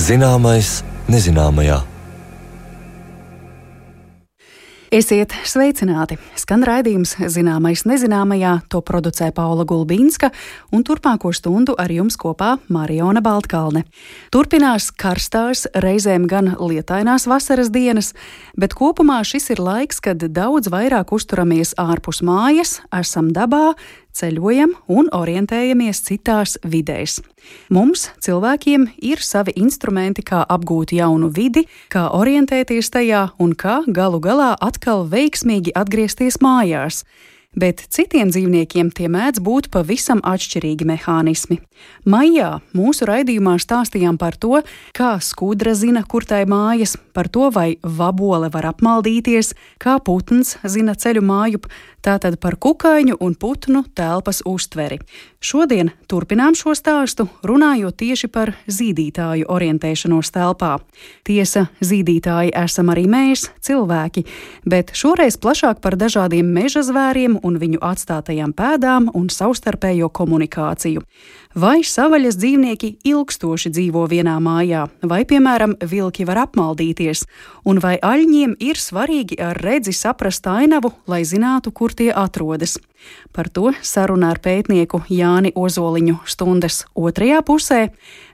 Zināmais nezināmajā. Esiet sveicināti! Skan raidījums Zināmais nezināmajā, to producē Paula Gulbīnska, un turpmāko stundu ar jums kopā Mariona Baltkalne. Turpinās karstās, reizēm gan lietainās vasaras dienas, bet kopumā šis ir laiks, kad daudz vairāk uzturamies ārpus mājas, esam dabā, ceļojam un orientējamies citās vidēs. Mums, cilvēkiem, ir savi instrumenti, kā apgūt jaunu vidi, kā orientēties tajā un kā galu galā atkal veiksmīgi atgriezties mājās. Bet citiem dzīvniekiem tie mēdz būt pavisam atšķirīgi mehānismi. Maijā mūsu raidījumā stāstījām par to, kā skudra zina, kur tai mājas, par to, vai vabole var apmaldīties, kā putns zina ceļu mājup, tātad par kukaiņu un putnu telpas uztveri. Šodien turpinām šo stāstu, runājot tieši par zīdītāju orientēšanos telpā. Tiesa, zīdītāji esam arī mēs, cilvēki, bet šoreiz plašāk par dažādiem meža zvēriem un viņu atstātajām pēdām un savstarpējo komunikāciju. Vai savvaļas dzīvnieki ilgstoši dzīvo vienā mājā, vai, piemēram, vilki var apmaldīties, un vai aļņiem ir svarīgi ar redzi saprast ainavu, lai zinātu, kur tie atrodas. Par to sarunā ar pētnieku Jāni Ozoliņu stundas otrajā pusē,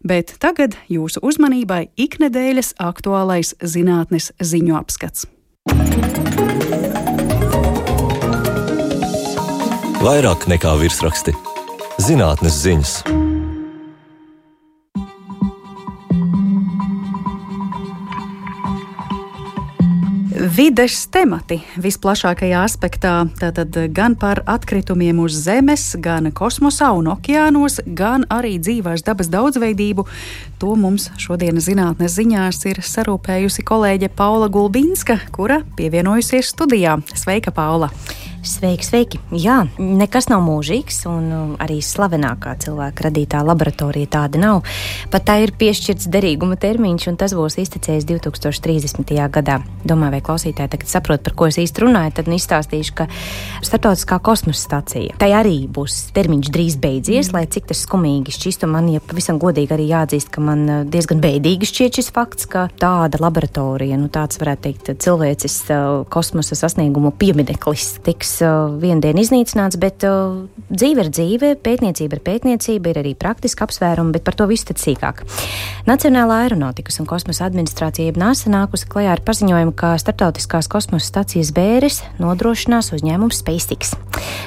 bet tagad jūsu uzmanībai iknedēļas aktuālais zinātnes ziņu apskats. Vairāk nekā virsraksti. Zinātnes ziņas. Vides temati visplašākajā aspektā, tātad gan par atkritumiem uz Zemes, gan kosmosā un okeānos, gan arī dzīvās dabas daudzveidību. To mums šodien zinātnes ziņās ir sarūpējusi kolēģe Paula Gulbīnska, kura pievienojusies studijā. Sveika, Paula! Sveiki! Jā, nekas nav mūžīgs, un arī slavenākā cilvēka radītā laboratorija tāda nav. Pat tā ir piešķirts derīguma termiņš, un tas būs iztecējis 2030. gadā. Domāju, vai klausītāji tagad saprot, par ko es īsti runāju, tad izstāstīšu, ka Starptautiskā kosmosa stacija. Tai arī būs termiņš drīz beidzies, lai cik tas skumīgi šķistu. Man, ja pavisam godīgi arī jāatzīst, ka man diezgan bēdīgi šķiet šis fakts, ka tāda laboratorija, tāds varētu teikt cilvēces kosmosa sasniegumu piemineklis tiks vienu dienu iznīcināts, bet dzīve ir dzīve, pētniecība ir pētniecība, ir arī praktiski apsvērumi, bet par to visu tad sīkāk. Nacionālā aeronautikas un kosmosa administrācija NASA nākusi klajā ar paziņojumu, ka Starptautiskās kosmosa stacijas bēres nodrošinās uzņēmums SpaceX.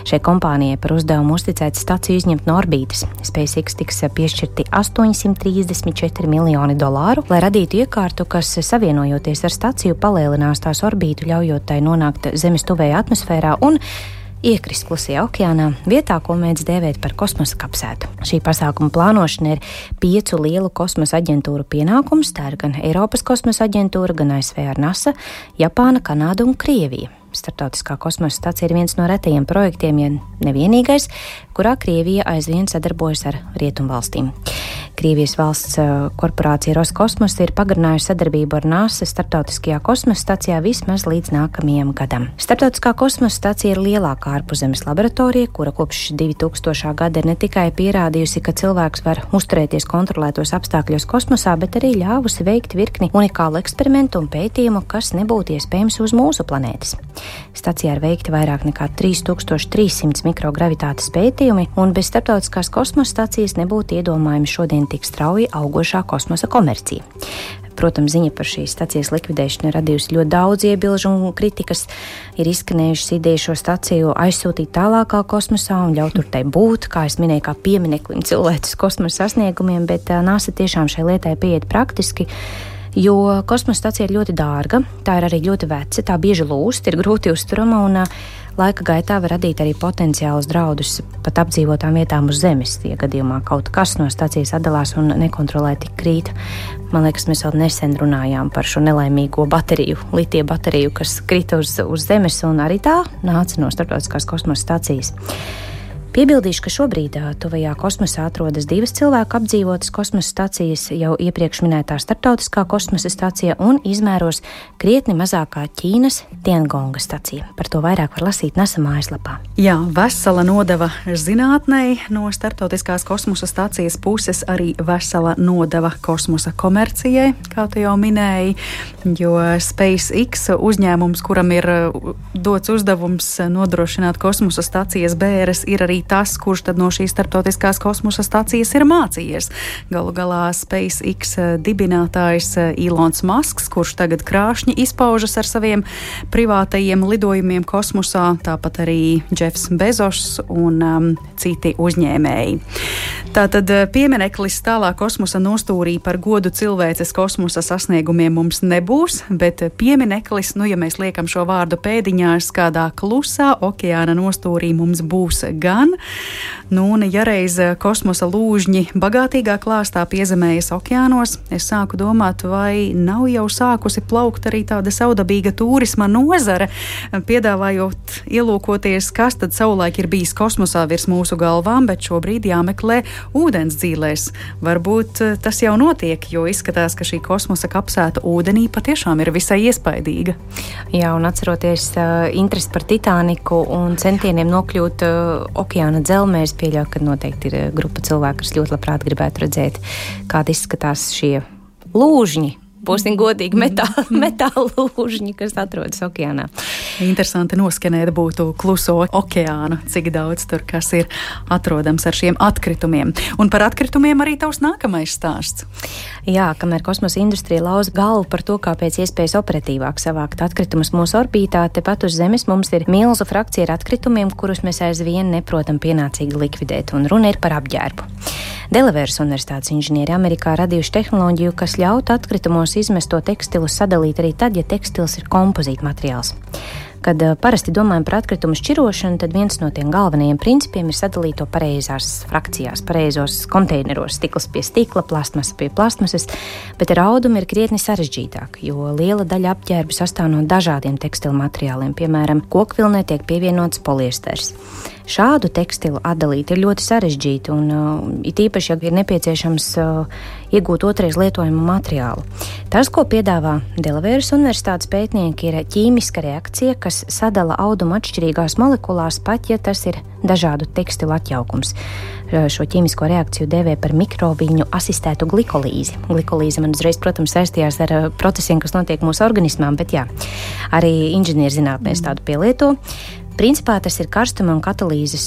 Šai kompānijai par uzdevumu uzticēt staciju izņemt no orbītas. SpaceX tiks piešķirti $834 miljoni, lai radītu iekārtu, kas savienojoties ar staciju palielinās tās orbītu, ļaujot tai nonākt Zemes tuvējā atmosfērā un iekrist Klusajā okeānā, vietā, ko mēdz dēvēt par kosmosa kapsētu. Šī pasākuma plānošana ir 5 lielu kosmosa aģentūru pienākums, tā ir gan Eiropas kosmosa aģentūra, gan ASV ar NASA, Japāna, Kanāda un Krievija. Starptautiskā kosmosa stacija ir viens no retajiem projektiem, ja nevienīgais, kurā Krievija aizvien sadarbojas ar rietumvalstīm. Krievijas valsts korporācija Roskosmos ir pagarinājusi sadarbību ar NASA Starptautiskajā kosmosa stacijā vismaz līdz nākamajam gadam. Starptautiskā kosmosa stacija ir lielākā ārpuszemes laboratorija, kura kopš 2000. gada ir ne tikai pierādījusi, ka cilvēks var uzturēties kontrolētos apstākļos kosmosā, bet arī ļāvusi veikt virkni unikālu eksperimentu un pētījumu, kas nebūtu iespējams uz mūsu planētas. Stacijā ir veikti vairāk nekā 3300 mikrogravitātes pētījumi, un bez Starptautiskās kosmosa stacijas nebūtu iedomājami šodien tik strauji augošā kosmosa komercija. Protams, ziņa par šīs stacijas likvidēšanu ir radījusi ļoti daudz iebilžu un kritikas. Ir izskanējušas idejas šo staciju aizsūtīt tālākā kosmosā un ļaut tur tai būt, kā es minēju, kā piemineklim cilvēces kosmosa sasniegumiem, bet NASA tiešām šai lietai pieiet praktiski, jo kosmosa stacija ir ļoti dārga, tā ir arī ļoti veca, tā bieži lūst, ir grūti uzturama un laika gaitā var radīt arī potenciālus draudus pat apdzīvotām vietām uz Zemes, ja gadījumā kaut kas no stacijas atdalās un nekontrolēti krīt. Man liekas, mēs vēl nesen runājām par šo nelaimīgo bateriju, litija bateriju, kas krita uz Zemes, un arī tā nāca no Starptautiskās kosmosa stacijas. Piebildīšu, ka šobrīd tuvajā kosmosā atrodas 2 cilvēku apdzīvotas kosmosa stacijas, jau iepriekš minētā starptautiskā kosmosa stacija un izmēros krietni mazākā Ķīnas Tiangonga stacija. Par to vairāk var lasīt NASA mājaslapā. Jā, vesela nodeva zinātnei no starptautiskās kosmosa stacijas puses, arī vesela nodeva kosmosa komercijai, kā tu jau minēji, jo SpaceX uzņēmums, kuram ir dots uzdevums nodrošināt kosmosa stacijas bēres, ir arī tas, kurš tad no šīs starptautiskās kosmosa stacijas ir mācījies. Galu galā SpaceX dibinātājs Ilons Masks, kurš tagad krāšņi izpaužas ar saviem privātajiem lidojumiem kosmosā, tāpat arī Jeffs Bezos un citi uzņēmēji. Tātad piemineklis tālā kosmosa nostūrī par godu cilvēces kosmosa sasniegumiem mums nebūs, bet piemineklis, ja mēs liekam šo vārdu pēdiņās, kādā klusā okeāna nostūrī mums būs gan. Un ja reiz kosmosa lūžņi bagātīgā klāstā piezemējas okeānos, es sāku domāt, vai nav jau sākusi plaukt arī tāda saudabīga turisma nozare, piedāvājot ielūkoties, kas tad savulaik ir bijis kosmosā virs mūsu galvām, bet šobrīd jāmeklē ūdens dzīlēs. Varbūt tas jau notiek, jo izskatās, ka šī kosmosa kapsēta ūdenī patiešām ir visai iespaidīga. Jā, un atceroties interesi par Titaniku un centieniem nokļūt okeāna dzelmēs, pieļauju, ka noteikti ir grupa cilvēku, kas ļoti labprāt gribētu redzēt, kāda izskatās šie lūžņi. Būsim godīgi metāla lūžņi, kas atrodas okeānā. Interesanti noskenēt būtu kluso okeānu, cik daudz tur kas ir atrodams ar šiem atkritumiem. Un par atkritumiem arī tavs nākamais stāsts. Jā, kamēr kosmosa industrija lauza galvu par to, kā pēc iespējas operatīvāk savākt atkritumus mūsu orbītā, tepat uz Zemes mums ir milzu frakcija ar atkritumiem, kurus mēs aizvien neprotam pienācīgi likvidēt, un runa ir par apģērbu. Delavēras Universitātes inženieri Amerikā radījuši tehnoloģiju, kas ļautu atkritumos izmesto tekstilu sadalīt arī tad, ja tekstils ir kompozīta materiāls. Kad parasti domājam par atkritumu šķirošanu, tad viens no tiem galvenajiem principiem ir sadalīt to pareizās frakcijās, pareizos konteineros, stikls pie stikla, plastmasa pie plastmasas, bet ar audumu ir krietni sarežģītāk, jo liela daļa apģērbu sastāv no dažādiem tekstilu materiāliem, piemēram, kokvilnē tiek pievienots poliesters. Šādu tekstilu atdalīt ir ļoti sarežģīti, un it īpaši, ja ir nepieciešams iegūt otrais lietojumu materiālu. Tas, ko piedāvā Delavēras Universitātes pētnieki, ir ķīmiska reakcija, kas sadala audumu atšķirīgās molekulās, pat ja tas ir dažādu tekstilu atjaukums. Šo ķīmisko reakciju dēvē par mikroviļņu asistētu glikolīzi. Glikolīze man uzreiz, protams, saistījās ar procesiem, kas notiek mūsu organismā, bet jā, arī inženierzinātnēs tādu pielieto. Principā tas ir karstuma un katalīzes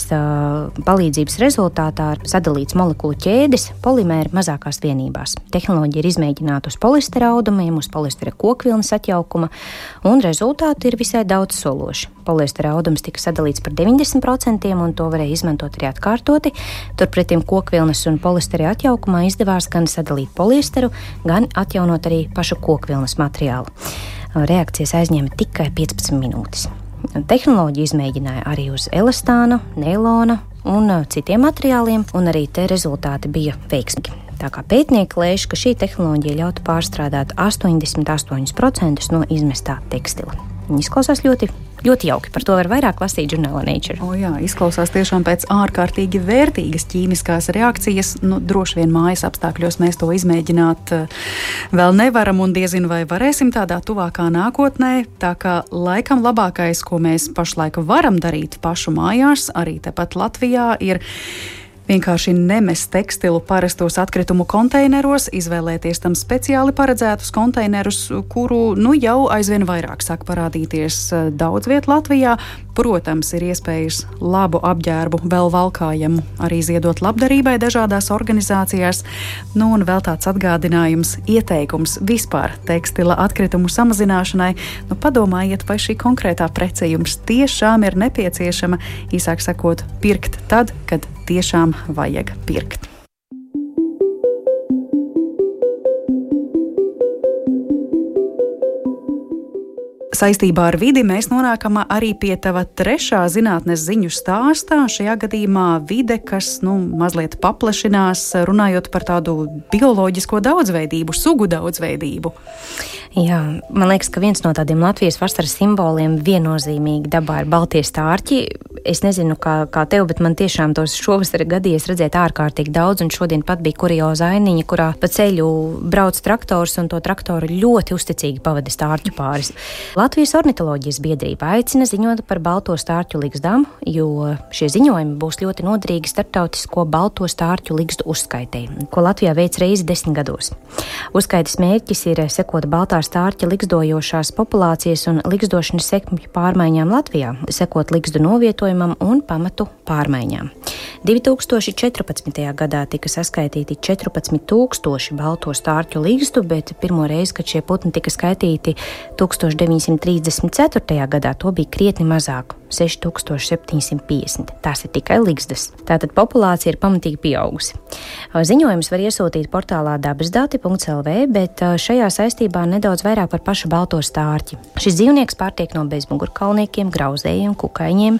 palīdzības rezultātā sadalīts molekulu ķēdes polimēri mazākās vienībās. Tehnoloģija ir izmēģināta uz poliestera audumiem, uz poliestera kokvilnas atjaukuma, un rezultāti ir visai daudz sološi. Poliestera audums tika sadalīts par 90%, un to varēja izmantot arī atkārtoti. Turpretim kokvilnas un poliestera atjaukumā izdevās gan sadalīt poliesteru, gan atjaunot arī pašu kokvilnas materiālu. Reakcijas aizņēma tikai 15 minūtes. Tehnoloģija izmēģināja arī uz elastāna, neilona un citiem materiāliem, un arī te rezultāti bija veiksmīgi. Tā kā pētnieki lēš, ka šī tehnoloģija ļautu pārstrādāt 88% no izmestā tekstila. Viņi izklausās ļoti jauki. Par to var vairāk lasīt žurnālā Nature. Jā, izklausās tiešām pēc ārkārtīgi vērtīgas ķīmiskās reakcijas. Droši vien mājas apstākļos mēs to izmēģināt vēl nevaram, un diezin vai varēsim tādā tuvākā nākotnē. Tā kā laikam labākais, ko mēs pašlaik varam darīt pašu mājās, arī tepat Latvijā, ir vienkārši nemest tekstilu parastos atkritumu konteineros, izvēlēties tam speciāli paredzētus konteinerus, kuru jau aizvien vairāk sāk parādīties daudz viet Latvijā. Protams, ir iespējas labu apģērbu vēl valkājumu arī ziedot labdarībai dažādās organizācijās. Un vēl tāds atgādinājums, ieteikums vispār tekstila atkritumu samazināšanai. Padomājiet, vai šī konkrētā prece jums tiešām ir nepieciešama, īsāk sakot, pirkt tad, kad tiešām vajag pirkt. saistībā ar vidi mēs nonākam arī pie tava trešā zinātnes ziņu stāstā. Šajā gadījumā vide, kas mazliet paplašinās, runājot par tādu bioloģisko daudzveidību, sugu daudzveidību. Jā, man liekas, ka viens no tādiem Latvijas vasaras simboliem viennozīmīgi dabā ir baltie stārķi. Es nezinu, kā tev, bet man tiešām tos šovasar gadījies redzēt ārkārtīgi daudz, un šodien pat bija kurioza ainiņa, kurā pa ceļu brauc traktors, un to traktoru ļoti uzticīgi pavada stārķu pāris. Latvijas ornitoloģijas biedrība aicina ziņot par balto stārķu ligzdām, jo šie ziņojumi būs ļoti noderīgi starptautisko balto stārķu ligzdu uzskaitei, ko Latvijā veic reizi 10 gados. Uzskaites mērķis ir sekot baltā stārķa ligzdojošās populācijas un ligzdošanas sekmju pārmaiņām Latvijā, sekot ligzdu novietojumam un pamatu pārmaiņām. 2014. gadā tika saskaitīti 14,000 balto stārķu ligzdu, bet pirmo reizi, kad šie putni tika skaitīti 1934. gadā, to bija krietni mazāk – 6,750. Tās ir tikai ligzdas. Tātad populācija ir pamatīgi pieaugusi. Ziņojumus var iesūtīt portālā dabasdati.lv, bet šajā saistībā nedaudz vairāk par pašu balto stārķi. Šis dzīvnieks pārtiek no bezmugurkaulniekiem, grauzējiem, kukaiņiem,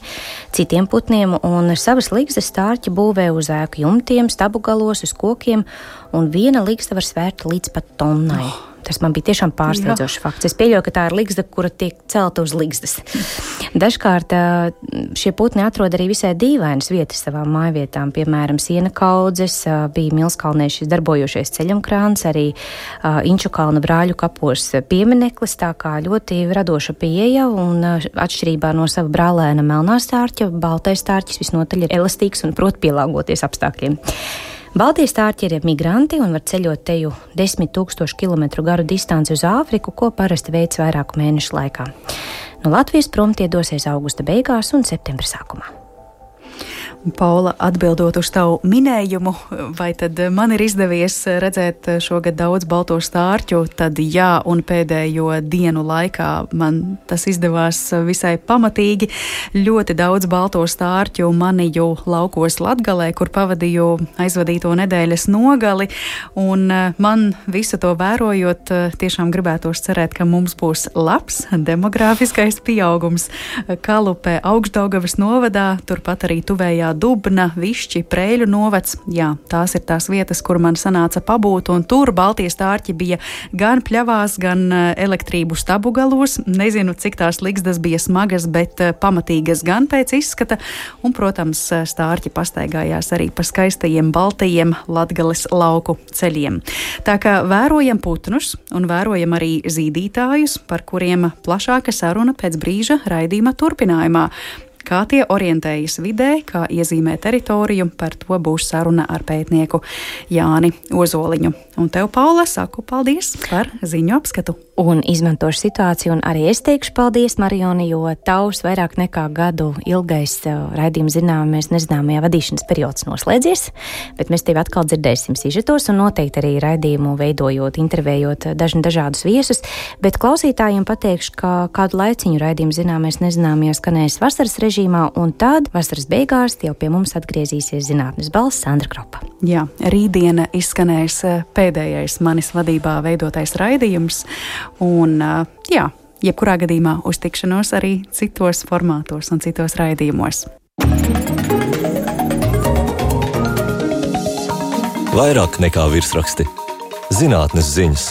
citiem putniem, un savas ligzdas stārķi būvē uz ēku jumtiem, stabu galos, uz kokiem, un viena ligzda var svērt līdz pat tonnai. Tas man bija tiešām pārsteidzošs fakts. Es pieļauju, ka tā ir ligzda, kura tiek celta uz ligzdas. Dažkārt šie putni atrod arī visai dīvainas vietas savām mājvietām, piemēram, siena kaudzes, bija Milskalnē šis darbojošais ceļumkrāns, arī Inčukalna brāļu kapos piemineklis, tā kā ļoti radoša pieeja, un atšķirībā no sava brālēna melnā stārķa, baltais stārķis visnotaļ ir elastīgs un prot pielāgoties apstākļiem. Baltie stārķi ir migranti un var ceļot teju 10,000 kilometru garu distanci uz Āfriku, ko parasti veic vairāku mēnešu laikā. No Latvijas prom tie dosies augusta beigās un septembra sākumā. Paula, atbildot uz tavu minējumu, vai tad man ir izdevies redzēt šogad daudz balto stārķu, tad jā, un pēdējo dienu laikā man tas izdevās visai pamatīgi. Ļoti daudz balto stārķu manīju laukos Latgalē, kur pavadīju aizvadīto nedēļas nogali, un man visu to vērojot, tiešām gribētos cerēt, ka mums būs labs demogrāfiskais pieaugums Kalupē, Augšdaugavas novadā, turpat arī tuvējā Dubna, Višķi, Prēļu novads. Jā, tās ir tās vietas, kur man sanāca pabūt, un tur baltie stārķi bija gan pļavās, gan elektrību stabu galos. Nezinu, cik tās ligzdas bija smagas, bet pamatīgas gan pēc izskata, un, protams, stārķi pastaigājās arī pa skaistajiem baltajiem Latgales lauku ceļiem. Tā kā vērojam putnus un vērojam arī zīdītājus, par kuriem plašāka saruna pēc brīža raidījuma turpinājumā. Kā tie orientējas vidē, kā iezīmē teritoriju, par to būs saruna ar pētnieku Jāni Ozoliņu. Un tev, Paula, saku paldies par ziņu apskatu. Un izmantošu situāciju, un arī es teikšu paldies, Marioni, jo tavs vairāk nekā gadu ilgais raidījuma zināmais nezināmajā vadīšanas periods noslēdzies, bet mēs tevi atkal dzirdēsim sižetos un noteikti arī raidījumu veidojot, intervējot dažādus viesus, bet klausītājiem pateikšu, ka kādu laiciņu raidījumu zināmais nezināmajā skanēs vasaras režīmā, un tad vasaras beigās jau pie mums atgriezīsies zinātnes balss Sandra Kropa. Jā, rītdiena izskanēs pēdējais manis vadībā veidotais raidījums, un jā, jebkurā gadījumā uz tikšanos arī citos formātos un citos raidījumos. Vairāk nekā virsraksti. Zinātnes ziņas.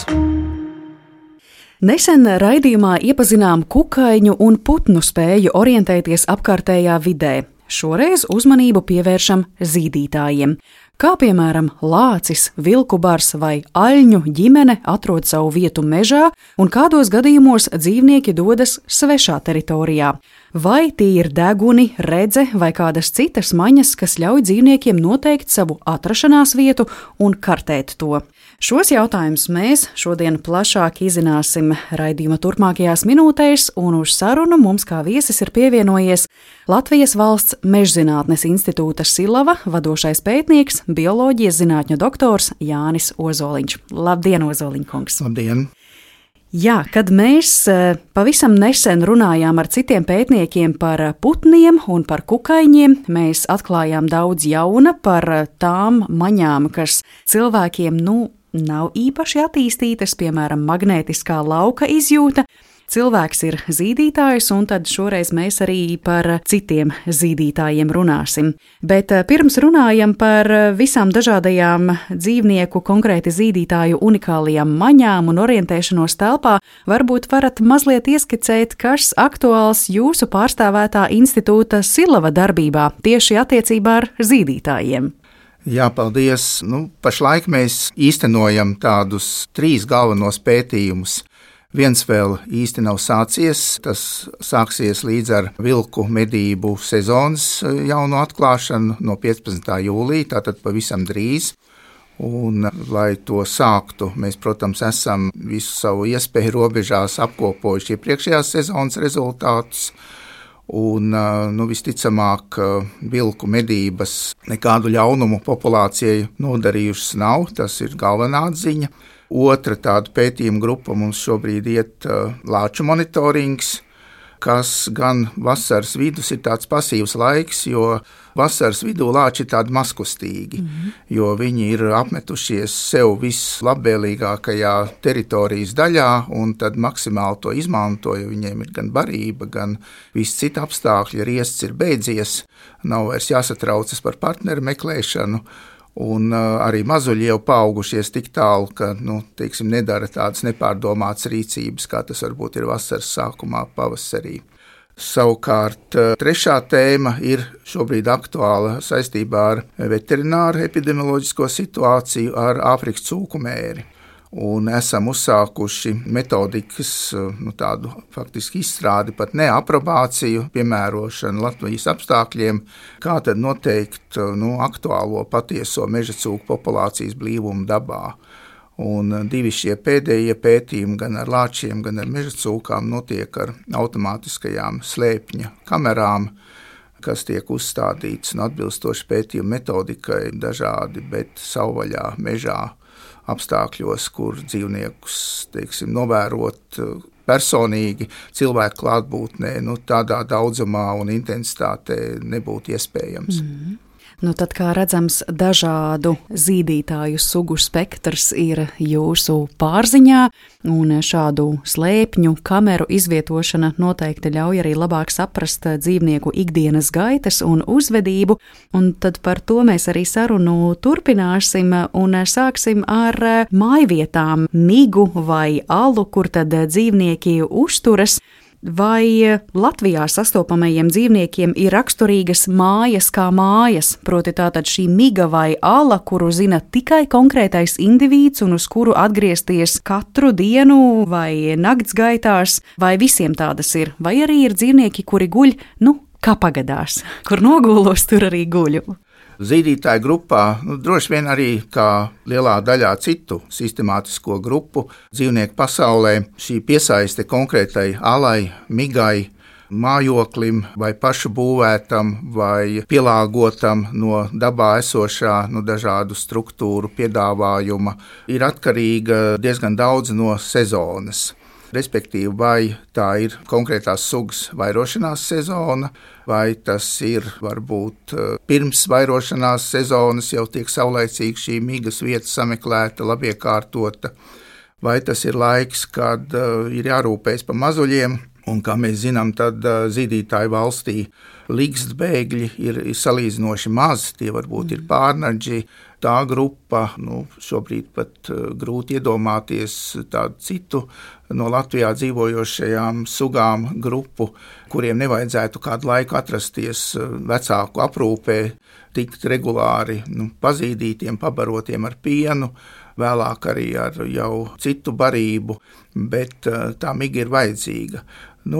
Nesen raidījumā iepazinām kukaiņu un putnu spēju orientēties apkārtējā vidē. Šoreiz uzmanību pievēršam zīdītājiem. Kā piemēram lācis, vilku bars vai aļņu ģimene atrod savu vietu mežā un kādos gadījumos dzīvnieki dodas svešā teritorijā. Vai tie ir deguni, redze vai kādas citas maņas, kas ļauj dzīvniekiem noteikt savu atrašanās vietu un kartēt to? Šos jautājumus mēs šodien plašāk izzināsim raidījuma turpmākajās minūtēs, un uz sarunu mums kā viesis ir pievienojies Latvijas Valsts Mežzinātnes institūta Silava vadošais pētnieks, bioloģijas zinātņu doktors Jānis Ozoliņš. Labdien, Ozoliņkungs! Labdien! Jā, kad mēs pavisam nesen runājām ar citiem pētniekiem par putniem un par kukaiņiem, mēs atklājām daudz jauna par tām maņām, kas cilvēkiem, nav īpaši attīstītas, piemēram, magnētiskā lauka izjūta. Cilvēks ir zīdītājs, un tad šoreiz mēs arī par citiem zīdītājiem runāsim. Bet pirms runājam par visām dažādajām dzīvnieku, konkrēti zīdītāju unikālajām maņām un orientēšanos telpā, varbūt varat mazliet ieskicēt, kas aktuāls jūsu pārstāvētā institūta Silava darbībā tieši attiecībā ar zīdītājiem. Jā, paldies. Pašlaik mēs īstenojam tādus 3 galvenos pētījumus. Viens vēl īsti nav sācies, tas sāksies līdz ar vilku medību sezonas jauno atklāšanu no 15. jūlija, tātad pavisam drīz. Un, lai to sāktu, mēs, protams, esam visu savu iespēju robežās apkopojuši iepriekšējās sezonas rezultātus. Un, visticamāk, vilku medības nekādu ļaunumu populācijai nodarījušas nav, tas ir galvenā atziņa. Otra tāda pētījuma grupa mums šobrīd iet lāču monitorings, kas gan vasaras vidus ir tāds pasīvs laiks, jo vasaras vidū lāči ir tādi mazkustīgi, jo viņi ir apmetušies sev vislabvēlīgākajā teritorijas daļā un tad maksimāli to izmanto, jo viņiem ir gan barība, gan visi citi apstākļi, riests ir beidzies, nav vairs jāsatraucas par partneru meklēšanu. Un arī mazuļi jau paaugušies tik tālu, ka nedara tādas nepārdomātas rīcības, kā tas varbūt ir vasaras sākumā, pavasarī. Savukārt trešā tēma ir šobrīd aktuāla saistībā ar veterināru epidemioloģisko situāciju ar Āfrikas cūku mēri. Un esam uzsākuši metodikas, tādu faktiski izstrādi, pat ne aprobāciju, piemērošanu Latvijas apstākļiem, kā tad noteikt aktuālo patieso meža cūku populācijas blīvumu dabā. Un 2 šie pēdējie pētījumi gan ar lāčiem, gan ar meža cūkām notiek ar automātiskajām slēpņa kamerām, kas tiek uzstādītas un atbilstoši pētījuma metodikai dažādi, bet savvaļā mežā apstākļos, kur dzīvniekus, novērot personīgi cilvēku klātbūtnē, tādā daudzumā un intensitātē nebūtu iespējams. Tad, kā redzams, dažādu zīdītāju sugu spektrs ir jūsu pārziņā, un šādu slēpņu kameru izvietošana noteikti ļauj arī labāk saprast dzīvnieku ikdienas gaitas un uzvedību, un tad par to mēs arī sarunu turpināsim un sāksim ar mājvietām, migu vai alu, kur tad dzīvnieki uzturas. Vai Latvijā sastopamajiem dzīvniekiem ir raksturīgas mājas kā mājas, proti tātad šī miga vai ala, kuru zina tikai konkrētais indivīds un uz kuru atgriezties katru dienu vai nakts gaitās, vai visiem tādas ir? Vai arī ir dzīvnieki, kuri guļ, kā pagadās, kur nogulos, tur arī guļu? Zīdītāju grupā, droši vien arī kā lielā daļā citu sistemātisko grupu dzīvnieku pasaulē, šī piesaiste konkrētai alai, migai, mājoklim vai pašu būvētam vai pielāgotam no dabā esošā dažādu struktūru piedāvājuma ir atkarīga diezgan daudz no sezonas. Respektīvi, vai tā ir konkrētās sugas vairošanās sezona, vai tas ir varbūt pirms vairošanās sezonas jau tiek saulaicīgi šī migas vieta sameklēta, labi iekārtota, vai tas ir laiks, kad ir jārūpējas par mazuļiem, un kā mēs zinām, tad zīdītāju valstī ligzdas ir salīdzinoši maz, tie varbūt ir pārnaģi. Tā grupa, šobrīd pat grūti iedomāties tādu citu no Latvijā dzīvojošajām sugām grupu, kuriem nevajadzētu kādu laiku atrasties vecāku aprūpē, tikt regulāri pazīdītiem, pabarotiem ar pienu, vēlāk arī ar jau citu barību, bet tā miga ir vajadzīga.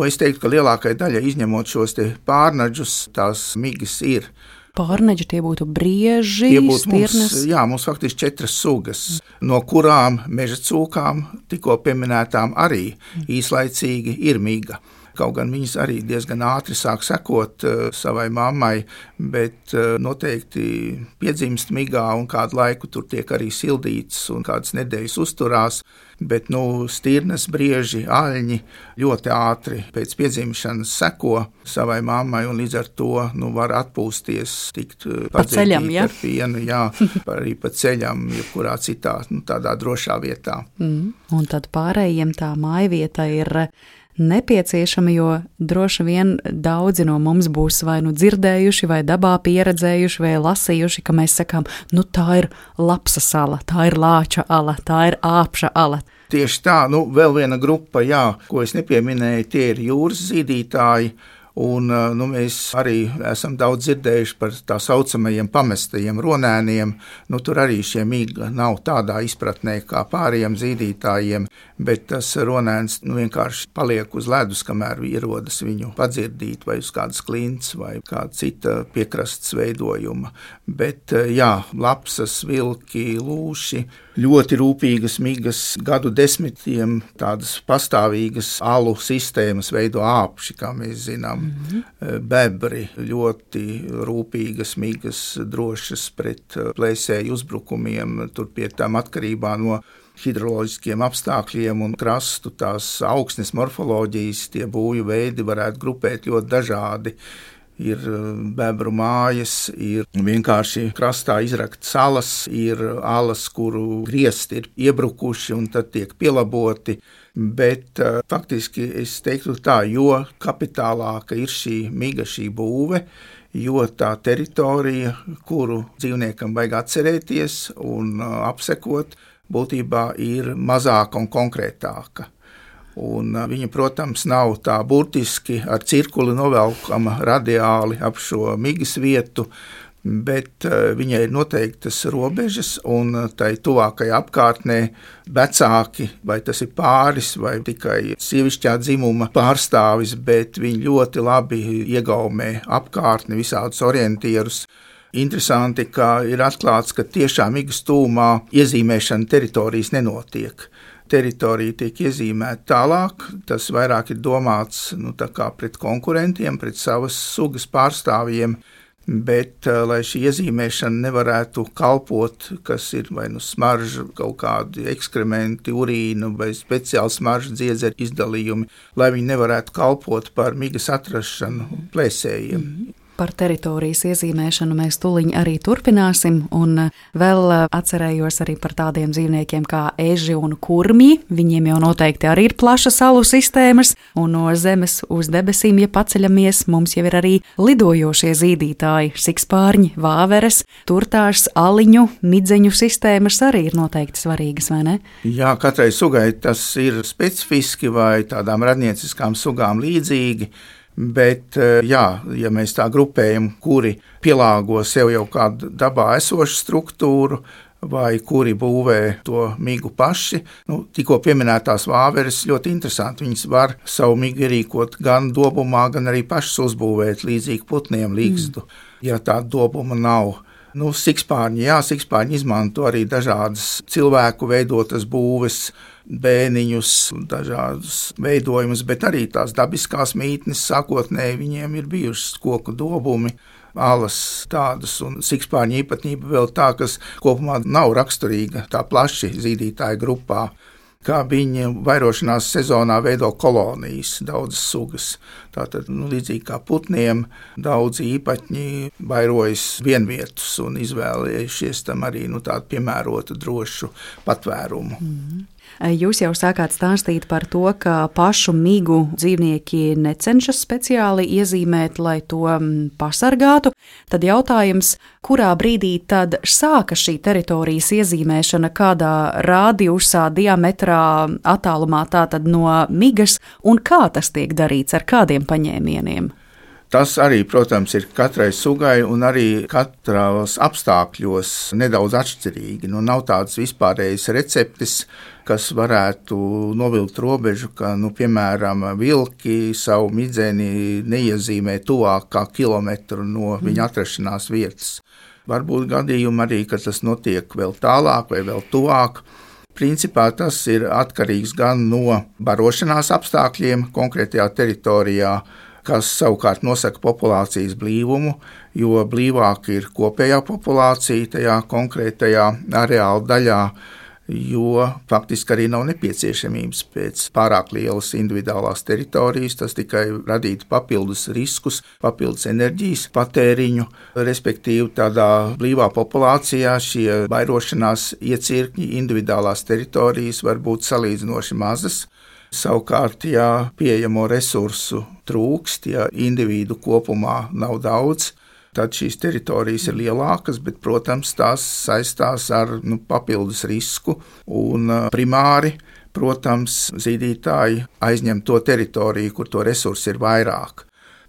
Es teiktu, ka lielākai daļai izņemot šos te pārnaģus, tās migas ir. Pārneģi tie būtu brieži, stirnas? Mums faktiski 4 sugas, no kurām meža cūkām, tikko pieminētām arī īslaicīgi ir miga. Kaut gan viņas arī diezgan ātri sāk sekot savai mammai, bet noteikti piedzimst migā un kādu laiku tur tiek arī sildīts un kādas nedēļas uzturās, bet stirnas, brieži, aļņi ļoti ātri pēc piedzimšanas seko savai mammai un līdz ar to var atpūsties, tikt padzēdīt ar pienu, arī pa ceļam, jebkurā citā tādā drošā vietā. Un tad pārējiem tā mājvieta ir nepieciešama, jo droši vien daudzi no mums būs vai nu dzirdējuši, vai dabā pieredzējuši, vai lasījuši, ka mēs sakām, nu tā ir lapsas ala, tā ir lāča ala, tā ir āpša ala. Tieši tā, vēl viena grupa, ko es nepieminēju, tie ir jūras zīdītāji. Un, mēs arī esam daudz dzirdējuši par tā saucamajiem pamestajiem ronēniem. Tur arī šie miga nav tādā izpratnē kā pārējiem zīdītājiem, bet tas ronēns vienkārši paliek uz ledus, kamēr ierodas viņu padzirdīt vai uz kādas klints vai kāda cita piekrastes veidojuma. Bet lapsas, vilki, lūši, ļoti rūpīgas migas, gadu desmitiem tādas pastāvīgas alu sistēmas veido āpši, kā mēs zinām. Bebri, ļoti rūpīgas migas, drošas pret plēsēju uzbrukumiem, tur pie tām atkarībā no hidroloģiskiem apstākļiem un krastu tās augsnes morfoloģijas, tie būju veidi varētu grupēt ļoti dažādi. Ir bebru mājas, ir vienkārši krastā izraktas salas, ir alas, kuru griezti ir iebrukuši un tad tiek pielaboti. Bet faktiski es teiktu tā, jo kapitālāka ir šī miga, šī būve, jo tā teritorija, kuru dzīvniekam vajag atcerēties un apsekot, būtībā ir mazāka un konkrētāka. Un viņa, protams, nav tā burtiski ar cirkuli novelkama radiāli ap šo migas vietu, bet viņai ir noteiktas robežas, un tai tuvākajā apkārtnē vecāki, vai tas ir pāris, vai tikai sievišķā dzimuma pārstāvis, bet viņi ļoti labi iegaumē apkārtni, visādus orientierus. Interesanti, ka ir atklāts, ka tiešām migas tūmā iezīmēšana teritorijas nenotiek. Teritorija tiek iezīmēta tālāk, tas vairāk ir domāts tā kā pret konkurentiem, pret savas sugas pārstāvjiem, bet lai šī iezīmēšana nevarētu kalpot, kas ir vai smarža, kaut kādi ekskrementi, urīnu vai speciāli smarža dziedzera izdalījumi, lai viņi nevarētu kalpot par migas atrašanu plēsējiem. Par teritorijas iezīmēšanu mēs tuliņ arī turpināsim, un vēl atcerējos arī par tādiem dzīvniekiem kā eži un kurmji. Viņiem jau noteikti arī ir plašas salu sistēmas, un no zemes uz debesīm, ja paceļamies, mums jau ir arī lidojošie zīdītāji, sikspārņi, vāveres, turtāšs, aliņu, midzeņu sistēmas arī ir noteikti svarīgas, vai ne? Jā, katrai sugai tas ir specifiski vai tādām radnieciskām sugām līdzīgi. Bet, ja mēs tā grupējam, kuri pielāgo sev jau kādu dabā esošu struktūru, vai kuri būvē to migu paši, tikko pieminētās vāveres ļoti interesanti. Viņas var savu migu ierīkot gan dobumā, gan arī pašas uzbūvēt līdzīgi putniem līgstu, ja tāda dobuma nav. Sikspārņi izmanto arī dažādas cilvēku veidotas būves, bēniņus, dažādus veidojumus, bet arī tās dabiskās mītnes sākotnēji viņiem ir bijušas koku dobumi, alas tādas, un sikspārņu īpatnība vēl tā, kas kopumā nav raksturīga tā plaši zīdītāju grupā, kā viņi vairošanās sezonā veido kolonijas, daudzas sugas. Tātad, līdzīgi kā putniem, daudzi īpatņi vairojas vienvietus un izvēlējušies tam arī tādu piemērotu drošu patvērumu. Jūs jau sākāt stāstīt par to, ka pašu migu dzīvnieki necenšas speciāli iezīmēt, lai to pasargātu. Tad jautājums, kurā brīdī tad sāka šī teritorijas iezīmēšana, kādā rādījusā, diametrā, attālumā tātad no migas, un kā tas tiek darīts, ar kādiem paņēmieniem? Tas arī, protams, ir katrai sugai un arī katros apstākļos nedaudz atšķirīgi. Nav tādas vispārējas receptes, kas varētu novilkt robežu, ka, piemēram, vilki savu midzeni neiezīmē tuvāk kā kilometru no viņa atrašanās vietas. Varbūt gadījumi arī, ka tas notiek vēl tālāk vai vēl tuvāk. Principā tas ir atkarīgs gan no barošanās apstākļiem konkrētajā teritorijā, kas savukārt nosaka populācijas blīvumu, jo blīvāk ir kopējā populācija tajā konkrētajā areāla daļā, jo faktiski arī nav nepieciešamības pēc pārāk lielas individuālās teritorijas, tas tikai radītu papildus riskus, papildus enerģijas patēriņu, respektīvi tādā blīvā populācijā šie vairošanās iecirkņi individuālās teritorijas var būt salīdzinoši mazas. Savukārt, ja pieejamo resursu trūkst, ja individu kopumā nav daudz, tad šīs teritorijas ir lielākas, bet, protams, tās saistās ar papildus risku un primāri. Protams, zīdītāji aizņem to teritoriju, kur to resursu ir vairāk.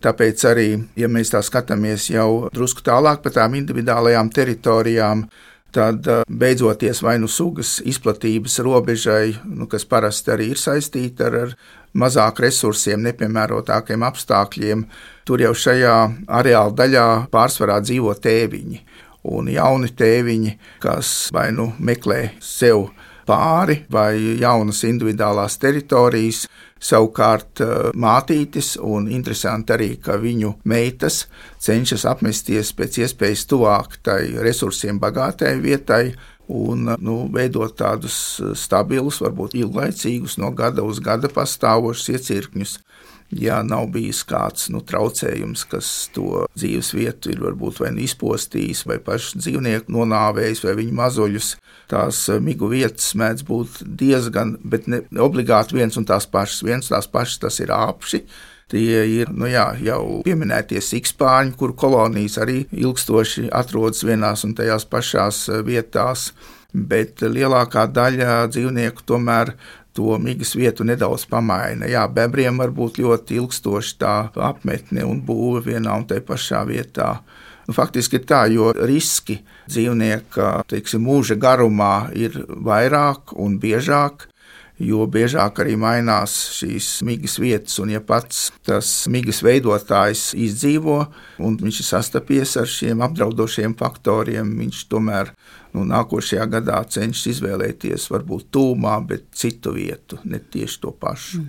Tāpēc arī, ja mēs tā skatāmies jau drusku tālāk par tām individuālajām teritorijām, tad beidzoties vai sugas izplatības robežai, kas parasti arī ir saistīta ar mazāk resursiem, nepiemērotākiem apstākļiem, tur jau šajā areāla daļā pārsvarā dzīvo tēviņi. Un jauni tēviņi, kas vai meklē sev pāri vai jaunas individuālās teritorijas, savukārt mātītes, un interesanti arī, ka viņu meitas cenšas apmesties pēc iespējas tuvāk tai resursiem bagātai vietai un veidot tādus stabilus, varbūt ilglaicīgus, no gada uz gada pastāvošus iecirkņus. Ja nav bijis kāds traucējums, kas to dzīves vietu ir varbūt vai izpostījis, vai pašu dzīvnieku nonāvējis, vai viņu mazuļus, tās migu vietas mēdz būt diezgan, bet ne obligāti viens un tās pašas, tas ir āpši. Tie ir jau pieminētie sikspārņi, kuru kolonijas arī ilgstoši atrodas vienās un tajās pašās vietās, bet lielākā daļa dzīvnieku tomēr to migas vietu nedaudz pamaina. Bebriem var būt ļoti ilgstoši tā apmetne un būve vienā un tajā pašā vietā. Faktiski ir tā, jo riski dzīvnieka, mūža garumā ir vairāk un biežāk, jo biežāk arī mainās šīs migas vietas, un ja pats tas migas veidotājs izdzīvo, un viņš ir sastapies ar šiem apdraudošiem faktoriem, viņš tomēr nākošajā gadā cenšas izvēlēties varbūt tūmā, bet citu vietu, ne tieši to pašu.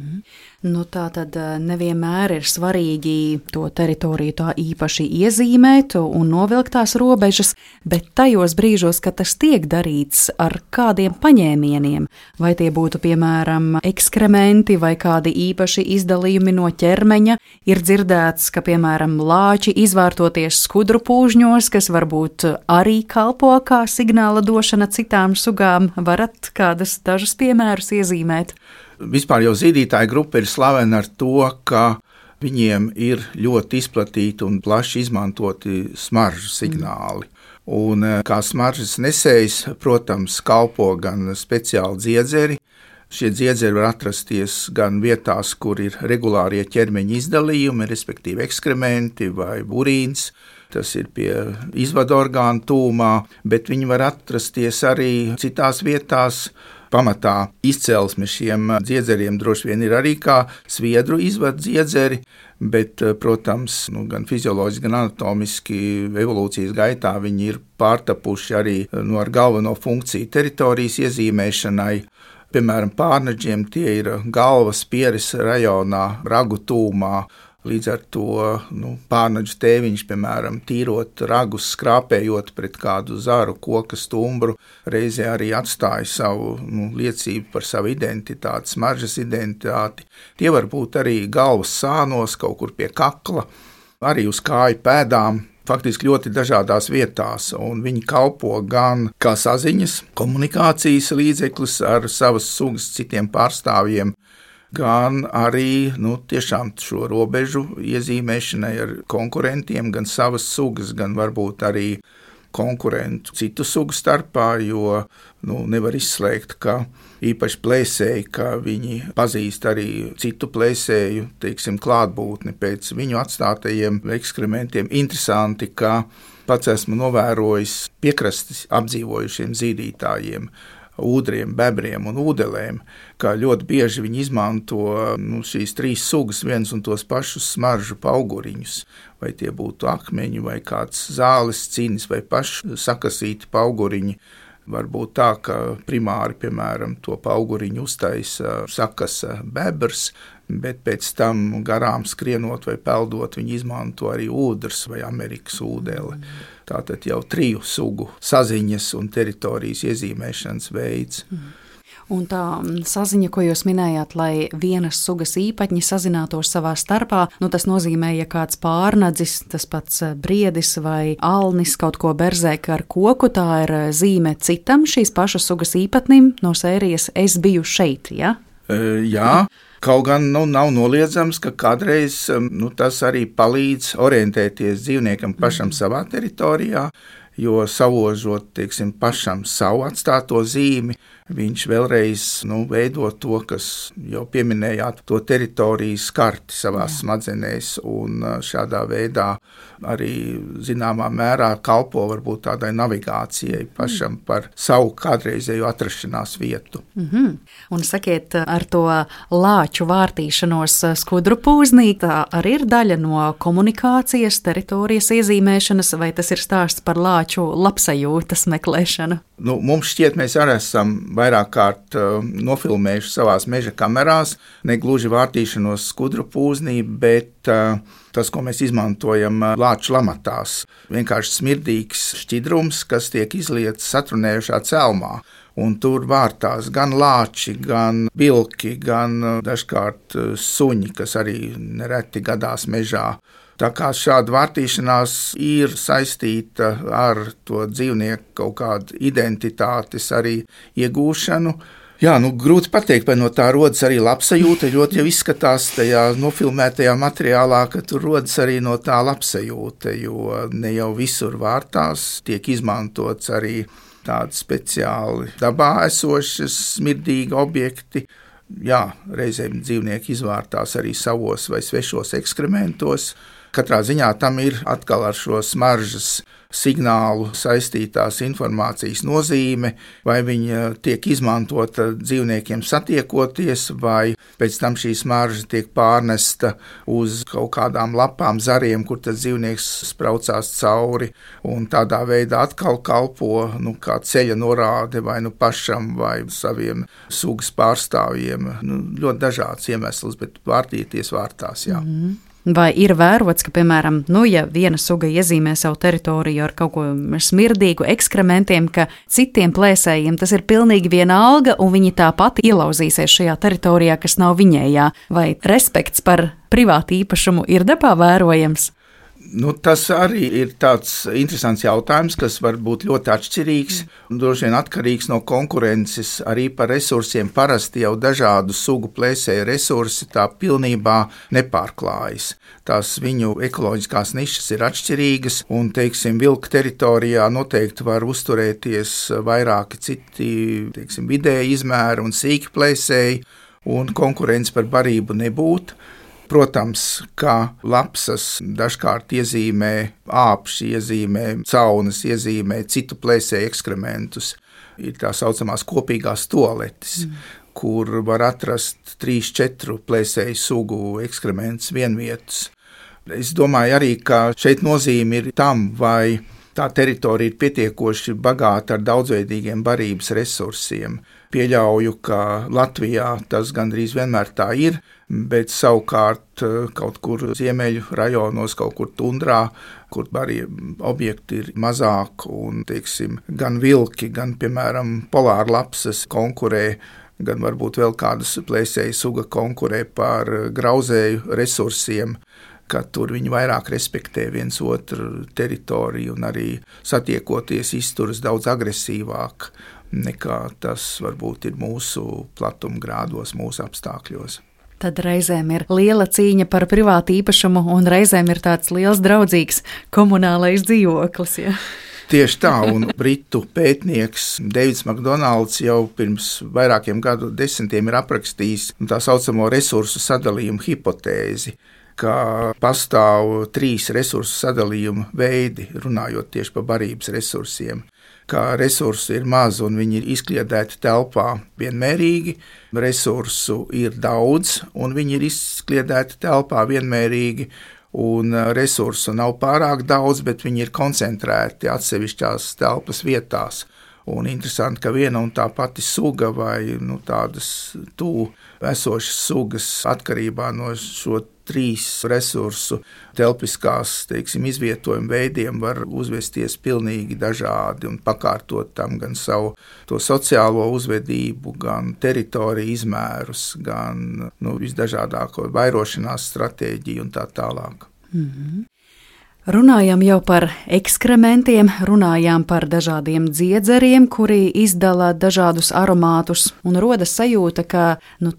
Tā tad nevienmēr ir svarīgi to teritoriju tā īpaši iezīmēt un novilkt tās robežas, bet tajos brīžos, kad tas tiek darīts ar kādiem paņēmieniem, vai tie būtu, piemēram, ekskrementi vai kādi īpaši izdalījumi no ķermeņa, ir dzirdēts, ka, piemēram, lāči izvārtoties skudru pūžņos, kas varbūt arī kalpo kā signāla došana citām sugām, varat kādus dažus piemērus iezīmēt? Vispār jau zīdītāja grupa ir slavena ar to, ka viņiem ir ļoti izplatīti un plaši izmantoti smaržu signāli. Un kā smaržas nesējs, protams, kalpo gan speciāli dziedzeri. Šie dziedzeri var atrasties gan vietās, kur ir regulārie ķermeņa izdalījumi, respektīvi ekskrementi vai urīns. Tas ir pie izvadu orgānu tūmā, bet viņi var atrasties arī citās vietās. Pamatā izcelsme šiem dziedzeriem droši vien ir arī kā sviedru izvadu dziedzeri, bet, protams, gan fizioloģiski, gan anatomiski evolūcijas gaitā viņi ir pārtapuši arī ar galveno funkciju teritorijas iezīmēšanai. Piemēram, pārnaģiem tie ir galvas pieres rajonā, ragu tūmā. Līdz ar to pārnaģu tēviņš, piemēram, tīrot ragus, skrāpējot pret kādu zaru, koka stumbru, reizē arī atstāja savu liecību par savu identitāti, smaržas identitāti. Tie var būt arī galvas sānos, kaut kur pie kakla, arī uz kāju pēdām. Faktiski ļoti dažādās vietās, un viņi kalpo gan kā saziņas, komunikācijas līdzeklis ar savas sugas citiem pārstāvjiem, gan arī tiešām šo robežu iezīmēšanai ar konkurentiem, gan savas sugas, gan varbūt arī konkurentu citu sugu starpā, jo nevar izslēgt, ka īpaši plēsēji, ka viņi pazīst arī citu plēsēju, klātbūtni pēc viņu atstātajiem ekskrementiem. Interesanti, ka pats esmu novērojis piekrastes apdzīvojušiem zīdītājiem, ūdriem, bebriem un ūdelēm, kā ļoti bieži viņi izmanto šīs trīs sugas viens un tos pašus smaržu pauguriņus, vai tie būtu akmeņi, vai kāds zāles cinis, vai paši sakasīti pauguriņi. Varbūt tā, ka primāri, piemēram, to pauguriņu uztaisa sakasa bebrs, bet pēc tam garām skrienot vai peldot, viņi izmanto arī ūdrs vai Amerikas ūdeli. Tātad jau triju sugu saziņas un teritorijas iezīmēšanas veids. Un tā saziņa, ko jūs minējāt, lai vienas sugas īpatņi sazinātos savā starpā, tas nozīmē, ja kāds pārnadzis, tas pats briedis vai alnis kaut ko berzēk ar koku, tā ir zīme citam šīs pašas sugas īpatnim no sērijas es biju šeit, ja? Jā, Kaut gan nav noliedzams, ka kādreiz tas arī palīdz orientēties dzīvniekam pašam savā teritorijā, jo savožot, pašam savu atstāto zīmi, viņš vēlreiz veido to, kas jau pieminējāt, to teritorijas karti savās smadzenēs, un šādā veidā arī zināmā mērā kalpo varbūt tādai navigācijai pašam par savu kādreizēju atrašanās vietu. Un sakiet, ar to lāču vārtīšanos skudru pūznī, tā arī ir daļa no komunikācijas, teritorijas iezīmēšanas, vai tas ir stāsts par lāču labsajūtas meklēšanu? Mums šķiet, mēs arī esam vairāk kārt nofilmējuši savās meža kamerās, ne gluži vārtīšanos skudru pūznī, bet tas, ko mēs izmantojam lāču lamatās. Vienkārši smirdīgs šķidrums, kas tiek izlietas satrunējušā celmā. Un tur vārtās gan lāči, gan vilki, gan dažkārt suņi, kas arī nereti gadās mežā. Tā kā šāda vārtīšanās ir saistīta ar to dzīvnieku kaut kādu identitātes arī iegūšanu. Jā, grūti pateikt, vai no tā rodas arī labsajūta, ļoti jau izskatās tajā nofilmētajā materiālā, ka tur rodas arī no tā labsajūta, jo ne jau visur vārtās, tiek izmantots arī tādi speciāli dabā esošas smirdīgi objekti. Jā, reizēm dzīvnieki izvārtās arī savos vai svešos ekskrementos. Katrā ziņā tam ir atkal ar šo smaržas signālu saistītās informācijas nozīme, vai viņa tiek izmantota dzīvniekiem satiekoties, vai pēc tam šī smarža tiek pārnesta uz kaut kādām lapām, zariem, kur tas dzīvnieks spraucās cauri, un tādā veidā atkal kalpo kā ceļa norāde vai pašam vai saviem sugas pārstāvjiem. Ļoti dažāds iemesls, bet vārtīties vārtās, jā. Vai ir vērots, ka, piemēram, ja viena suga iezīmē savu teritoriju ar kaut ko smirdīgu ekskrementiem, ka citiem plēsējiem tas ir pilnīgi vienalga un viņi tāpat ielauzīsies šajā teritorijā, kas nav viņējā? Vai respekts par privātu īpašumu ir dabā vērojams? Tas arī ir tāds interesants jautājums, kas var būt ļoti atšķirīgs un droši vien atkarīgs no konkurences arī par resursiem. Parasti jau dažādu sugu plēsēju resursi tā pilnībā nepārklājas. Tās viņu ekoloģiskās nišas ir atšķirīgas un, vilka teritorijā noteikti var uzturēties vairāki citi, vidēji izmēri un sīki plēsēji, un konkurence par barību nebūtu. Protams, ka lapsas dažkārt iezīmē āpši, iezīmē caunas, iezīmē citu plēsēju ekskrementus. Ir tā saucamās kopīgās tualetes, kur var atrast 3-4 plēsēju sugu ekskrementus vienvietus. Es domāju arī, ka šeit nozīme ir tam, vai tā teritorija ir pietiekoši bagāta ar daudzveidīgiem barības resursiem. Pieļauju, ka Latvijā tas gandrīz vienmēr tā ir, bet savukārt kaut kur ziemeļu rajonos, kaut kur tundrā, kur barību objekti ir mazāk un, gan vilki, gan, piemēram, polārlapsas konkurē, gan varbūt vēl kādas plēsēju suga konkurē par grauzēju resursiem, ka tur viņi vairāk respektē viens otru teritoriju un arī satiekoties izturas daudz agresīvāk nekā tas varbūt ir mūsu platumgrādos, mūsu apstākļos. Tad reizēm ir liela cīņa par privātu īpašumu un reizēm ir tāds liels draudzīgs komunālais dzīvoklis. Ja? Tieši tā, un britu pētnieks Deivids Makdonalds jau pirms vairākiem gadu desmitiem ir aprakstījis tā saucamo resursu sadalījumu hipotēzi, ka pastāv 3 resursu sadalījuma veidi, runājot tieši par barības resursiem. Kā resursu ir maz un viņi ir izkliedēti telpā vienmērīgi, resursu ir daudz un viņi ir izkliedēti telpā vienmērīgi, un resursu nav pārāk daudz, bet viņi ir koncentrēti atsevišķās telpas vietās. Un interesanti, ka viena un tā pati suga vai tādas tuvu esošas sugas atkarībā no šo 3 resursu telpiskās, izvietojuma veidiem var uzvesties pilnīgi dažādi un pakārtot tam gan savu to sociālo uzvedību, gan teritoriju izmērus, gan visdažādāko vairošanās stratēģiju un tā tālāk. Runājām jau par ekskrementiem, runājām par dažādiem dziedzeriem, kuri izdala dažādus aromātus, un rodas sajūta, ka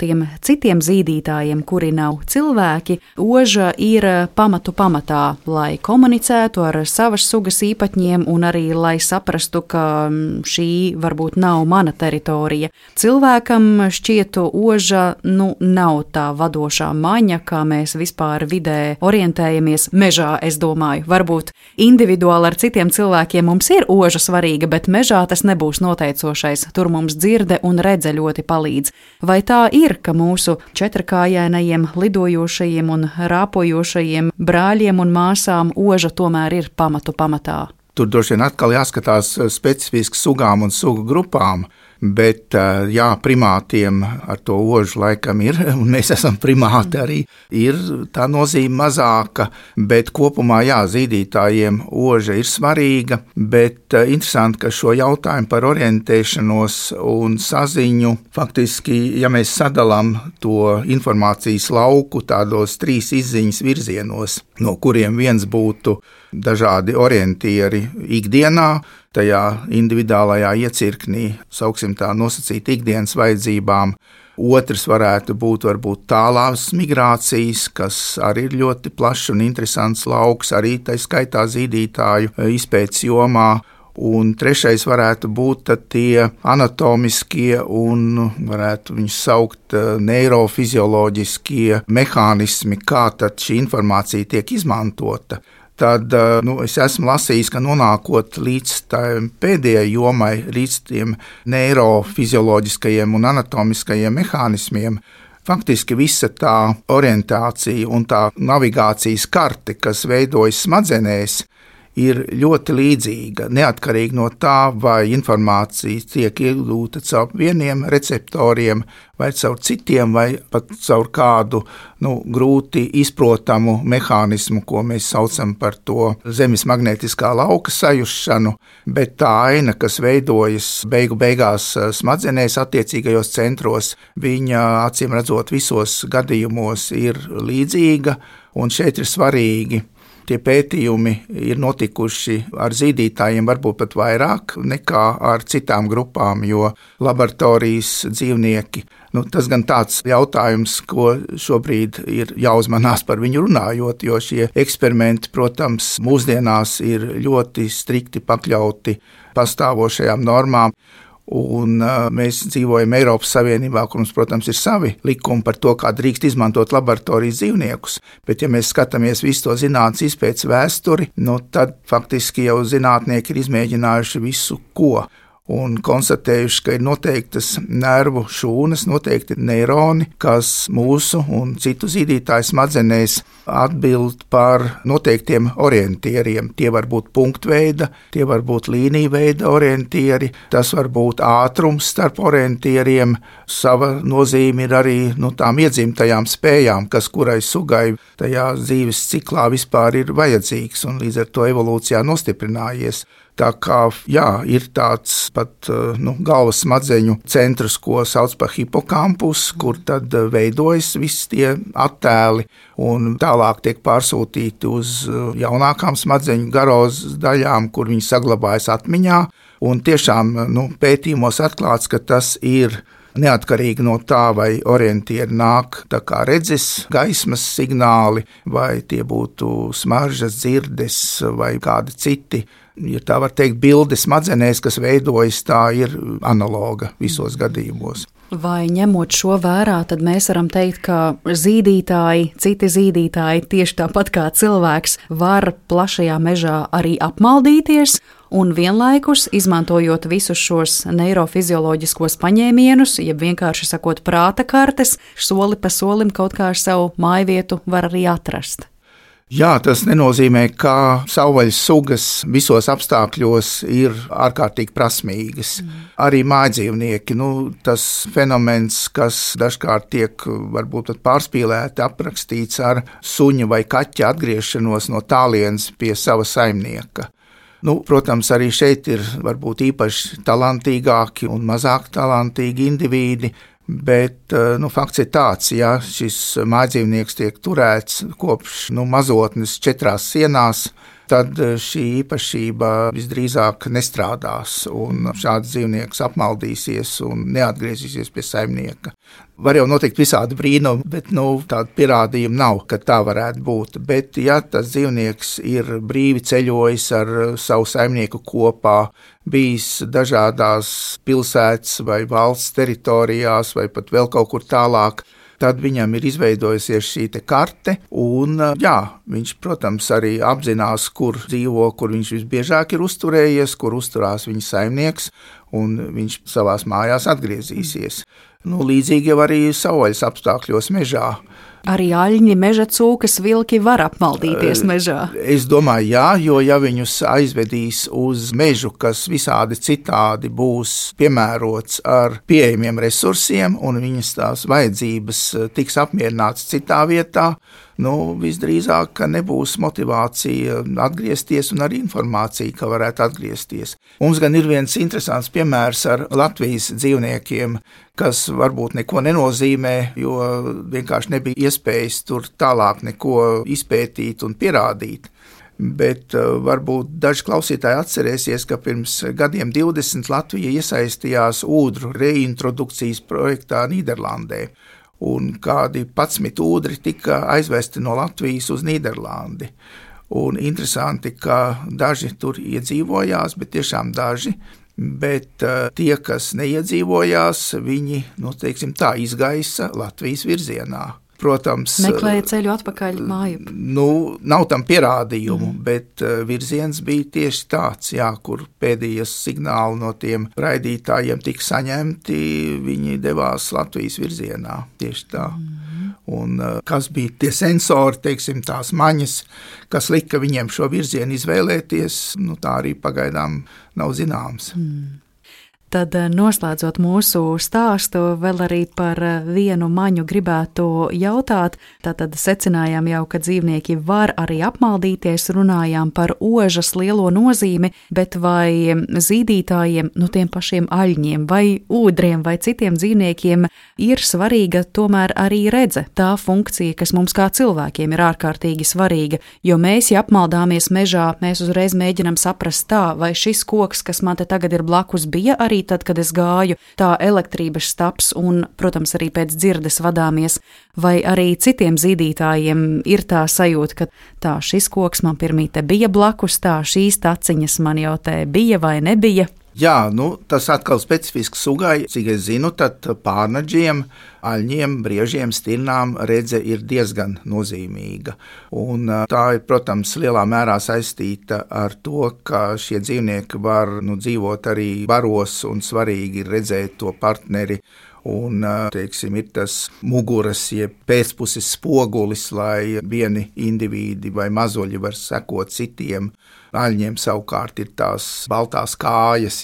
tiem citiem zīdītājiem, kuri nav cilvēki, oža ir pamatu pamatā, lai komunicētu ar savas sugas īpatņiem un arī lai saprastu, ka šī varbūt nav mana teritorija. Cilvēkam šķietu oža nav tā vadošā maņa, kā mēs vispār vidē orientējamies mežā, es domāju. Varbūt individuāli ar citiem cilvēkiem mums ir oža svarīga, bet mežā tas nebūs noteicošais. Tur mums dzirde un redze ļoti palīdz. Vai tā ir, ka mūsu četrakājainajiem, lidojošajiem un rāpojošajiem brāļiem un māsām oža tomēr ir pamatu pamatā? Tur droši vien atkal jāskatās specifiski sugām un sugu grupām. Bet, jā, primātiem ar to ožu laikam ir, un mēs esam primāti arī, ir tā nozīme mazāka, bet kopumā, jā, zīdītājiem oža ir svarīga, bet interesanti, ka šo jautājumu par orientēšanos un saziņu, faktiski, ja mēs sadalām to informācijas lauku tādos 3 izziņas virzienos, no kuriem viens būtu dažādi orientieri ikdienā, tajā individuālajā iecirknī, sauksim tā, nosacīt ikdienas vajadzībām. Otrs varētu būt varbūt tālās migrācijas, kas arī ir ļoti plašs un interesants lauks, arī tā skaitā zīdītāju izpētes jomā. Un trešais varētu būt tie anatomiskie un varētu viņus saukt neirofizioloģiskie mehānismi, kā tad šī informācija tiek izmantota. Tad es esmu lasījis, ka nonākot līdz tādai pēdējai jomai, līdz tiem neirofizioloģiskajiem un anatomiskajiem mehānismiem, faktiski visa tā orientācija un tā navigācijas karte, kas veidojas smadzenēs, ir ļoti līdzīga, neatkarīgi no tā, vai informācija tiek iegūta caur vieniem receptoriem, vai caur citiem, vai pat caur kādu grūti izprotamu mehānismu, ko mēs saucam par to zemes magnētiskā lauka sajušanu, bet tā aina, kas veidojas beigās smadzenēs attiecīgajos centros, viņa acīm redzot visos gadījumos ir līdzīga, un šeit ir svarīgi. Tie pētījumi ir notikuši ar zīdītājiem varbūt pat vairāk nekā ar citām grupām, jo laboratorijas dzīvnieki, tas gan tāds jautājums, ko šobrīd ir jāuzmanās par viņu runājot, jo šie eksperimenti, protams, mūsdienās ir ļoti strikti pakļauti pastāvošajām normām. Un mēs dzīvojam Eiropas Savienībā, kur mums, protams, ir savi likumi par to, kā drīkst izmantot laboratorijas dzīvniekus, bet ja mēs skatāmies visu to zinātnes izpētes vēsturi, tad faktiski jau zinātnieki ir izmēģinājuši visu, ko. Un konstatējuši, ka ir noteiktas nervu šūnas, noteikti neironi, kas mūsu un citu zīdītāju smadzenēs atbild par noteiktiem orientieriem. Tie var būt punktveida, tie var būt līnijveida orientieri, tas var būt ātrums starp orientieriem. Sava nozīme ir arī tām iedzimtajām spējām, kas kurai sugai tajā dzīves ciklā vispār ir vajadzīgs un līdz ar to evolūcijā nostiprinājies. Tā kā, jā, ir tāds pat galvas smadzeņu centrs, ko sauc par hipokampus, kur tad veidojas visi tie attēli un tālāk tiek pārsūtīti uz jaunākām smadzeņu garos daļām, kur viņi saglabājas atmiņā. Un tiešām pētījumos atklāts, ka tas ir neatkarīgi no tā, vai orientieri nāk tā kā redzes, gaismas signāli, vai tie būtu smaržas, dzirdes vai kādi citi. Ja tā var teikt, bilde smadzenēs, kas veidojas, tā ir analoga visos gadījumos. Vai ņemot šo vērā, tad mēs varam teikt, ka zīdītāji, citi zīdītāji, tieši tāpat kā cilvēks, var plašajā mežā arī apmaldīties un vienlaikus, izmantojot visus šos neirofizioloģiskos paņēmienus, jeb vienkārši sakot prāta kartes, soli pa solim kaut kā savu mājvietu var arī atrast. Jā, tas nenozīmē, ka savvaļas sugas visos apstākļos ir ārkārtīgi prasmīgas. Arī mājdzīvnieki, tas fenomens, kas dažkārt tiek varbūt pārspīlēti aprakstīts ar suņa vai kaķa atgriešanos no tālienes pie sava saimnieka. Protams, arī šeit ir varbūt īpaši talantīgāki un mazāk talantīgi indivīdi, Bet fakts ir tāds, ja šis mājdzīvnieks tiek turēts kopš mazotnes 4 sienās, tad šī īpašība visdrīzāk nestrādās, un šāds dzīvnieks apmaldīsies un neatgriezīsies pie saimnieka. Var jau notikt visādi brīnumi, bet tāda pierādījuma nav, ka tā varētu būt. Bet, ja tas dzīvnieks ir brīvi ceļojis ar savu saimnieku kopā, bijis dažādās pilsētas vai valsts teritorijās vai pat vēl kaut kur tālāk, tad viņam ir izveidojusies šī karte, un viņš, protams, arī apzinās, kur dzīvo, kur viņš visbiežāk ir uzturējies, kur uzturās viņa saimnieks, un viņš savās mājās atgriezīsies. Līdzīgi jau arī savvaļas apstākļos mežā. Arī aļņi, meža cūkas, vilki var apmaldīties mežā. Es domāju, jā, jo ja viņus aizvedīs uz mežu, kas visādi citādi būs piemērots ar pieejamiem resursiem, un viņas tās vajadzības tiks apmierināts citā vietā, visdrīzāk, ka nebūs motivācija atgriezties un arī informācija, ka varētu atgriezties. Mums gan ir viens interesants piemērs ar Latvijas dzīvniekiem, kas varbūt neko nenozīmē, jo vienkārši nebija iespējas tur tālāk neko izpētīt un pierādīt. Bet varbūt daži klausītāji atcerēsies, ka pirms gadiem 20 Latvija iesaistījās ūdru reintrodukcijas projektā Nīderlandē. Un kādi 11 ūdri tika aizvesti no Latvijas uz Nīderlandi. Un interesanti, ka daži tur iedzīvojās, bet tiešām daži, bet tie, kas neiedzīvojās, viņi, izgaisa Latvijas virzienā. Protams, meklēja ceļu atpakaļ māju. Nav tam pierādījumu, bet virziens bija tieši tāds, kur pēdējie signāli no tiem raidītājiem tika saņemti, viņi devās Latvijas virzienā, tieši tā. Un kas bija tie sensori, tās maņas, kas lika viņiem šo virzienu izvēlēties, tā arī pagaidām nav zināms. Tad noslēdzot mūsu stāstu, vēl arī par vienu maņu gribētu jautāt. Tātad secinājām jau, ka dzīvnieki var arī apmaldīties, runājām par ožas lielo nozīmi, bet vai zīdītājiem, tiem pašiem aļņiem vai ūdriem vai citiem dzīvniekiem ir svarīga tomēr arī redze, tā funkcija, kas mums kā cilvēkiem ir ārkārtīgi svarīga, jo mēs, ja apmaldāmies mežā, mēs uzreiz mēģinam saprast tā, vai šis koks, kas man te tagad ir blakus, bija arī tad, kad es gāju, tā elektrības staps un, protams, arī pēc dzirdes vadāmies, vai arī citiem zīdītājiem ir tā sajūta, ka tā šis koks man pirmīte bija blakus, tā šīs taciņas man jau te bija vai nebija. Jā, tas atkal specifisks sugai, cik es zinu, tad pārnaģiem, aļņiem, briežiem, stirnām redze ir diezgan nozīmīga. Un tā ir, protams, lielā mērā saistīta ar to, ka šie dzīvnieki var dzīvot arī baros un svarīgi ir redzēt to partneri. Un, ir tas muguras, jeb pēcpuses spogulis, lai vieni indivīdi vai mazuļi var sekot citiem. Aļņiem savukārt ir tās baltās kājas,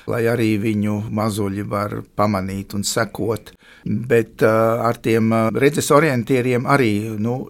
lai arī viņu mazuļi var pamanīt un sekot. Bet ar tiem redzes orientieriem arī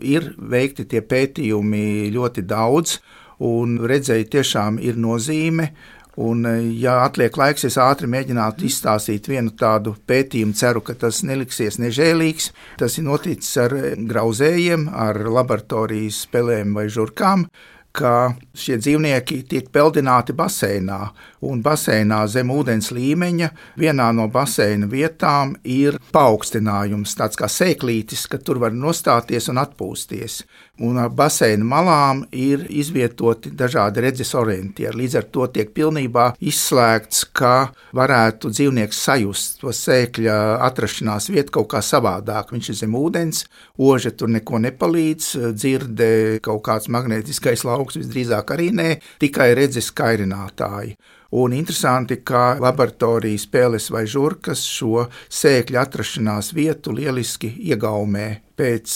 ir veikti tie pētījumi ļoti daudz, un redzēji tiešām ir nozīme. Un, ja atliek laiks, es ātri mēģinātu izstāstīt vienu tādu pētījumu, ceru, ka tas neliksies nežēlīgs. Tas ir noticis ar grauzējiem, ar laboratorijas pelēm vai žurkām, ka šie dzīvnieki tiek peldināti baseinā, un baseinā zem ūdens līmeņa vienā no baseina vietām ir paaugstinājums, tāds kā sēklītis, ka tur var nostāties un atpūsties. Un ar baseina malām ir izvietoti dažādi redzes orientieri. Līdz ar to tiek pilnībā izslēgts, ka varētu dzīvnieks sajust to sēkļa atrašanās vietu kaut kā savādāk. Viņš ir zem ūdens, oža tur neko nepalīdz, dzirde kaut kāds magnētiskais lauks visdrīzāk arī nē, tikai redzes kairinātāji. Un interesanti, ka laboratorijas peles vai žurkas šo sēkļu atrašanās vietu lieliski iegaumē. pēc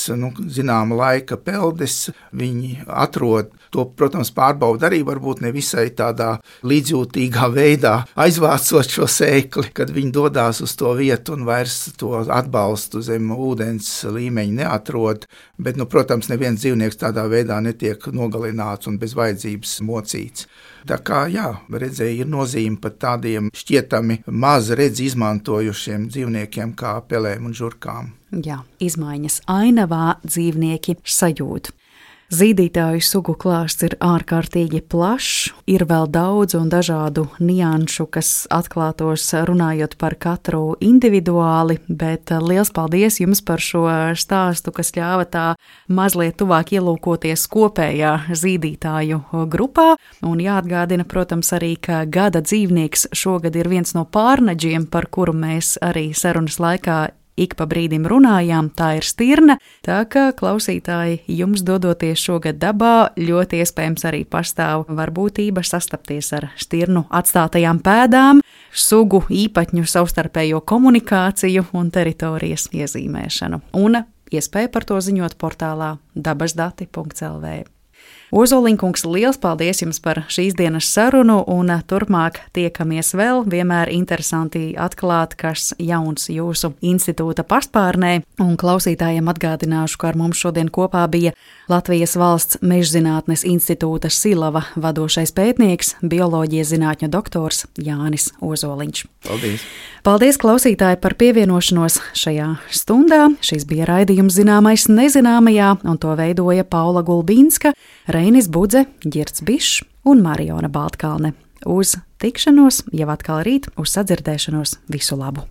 zināma laika peldes viņi atrod to, protams, pārbauda arī varbūt nevisai tādā līdzjūtīgā veidā, aizvācot šo sēkli, kad viņi dodās uz to vietu un vairs to atbalstu zem ūdens līmeņa neatrod, bet, protams, neviens dzīvnieks tādā veidā netiek nogalināts un bez vajadzības mocīts. Tā kā, redzēja ir nozīme pat tādiem šķietami maz redzi izmantojušiem dzīvniekiem kā pelēm un žurkām. Jā, izmaiņas ainavā dzīvnieki sajūt. Zīdītāju sugu klāsts ir ārkārtīgi plašs, ir vēl daudz un dažādu nianšu, kas atklātos runājot par katru individuāli, bet liels paldies jums par šo stāstu, kas ļāva tā mazliet tuvāk ielūkoties kopējā zīdītāju grupā. Un jāatgādina, protams, arī, ka gada dzīvnieks šogad ir viens no pārnaģiem, par kuru mēs arī sarunas laikā ik pa brīdim runājām, tā ir stirna, tā ka klausītāji jums dodoties šogad dabā ļoti iespējams arī pastāv varbūtība sastapties ar stirnu atstātajām pēdām, sugu īpatņu savstarpējo komunikāciju un teritorijas iezīmēšanu. Un iespēja par to ziņot portālā dabasdati.lv. Ozoliņkungs, liels paldies jums par šīs dienas sarunu un turpmāk tiekamies vēl. Vienmēr interesanti atklāt, kas jauns jūsu institūta paspārnē. Un klausītājiem atgādināšu, ka ar mums šodien kopā bija Latvijas Valsts Mežzinātnes institūta Silava vadošais pētnieks, bioloģijas zinātņu doktors Jānis Ozoliņš. Paldies! Paldies, klausītāji, par pievienošanos šajā stundā. Šis bija raidījums Zināmais nezināmajā, un to veidoja Paula Gulbīnska, Reinis Budze, Ģirds Bišs un Mariona Baltkalne. Uz tikšanos jau atkal rīt, uz sadzirdēšanos, visu labu!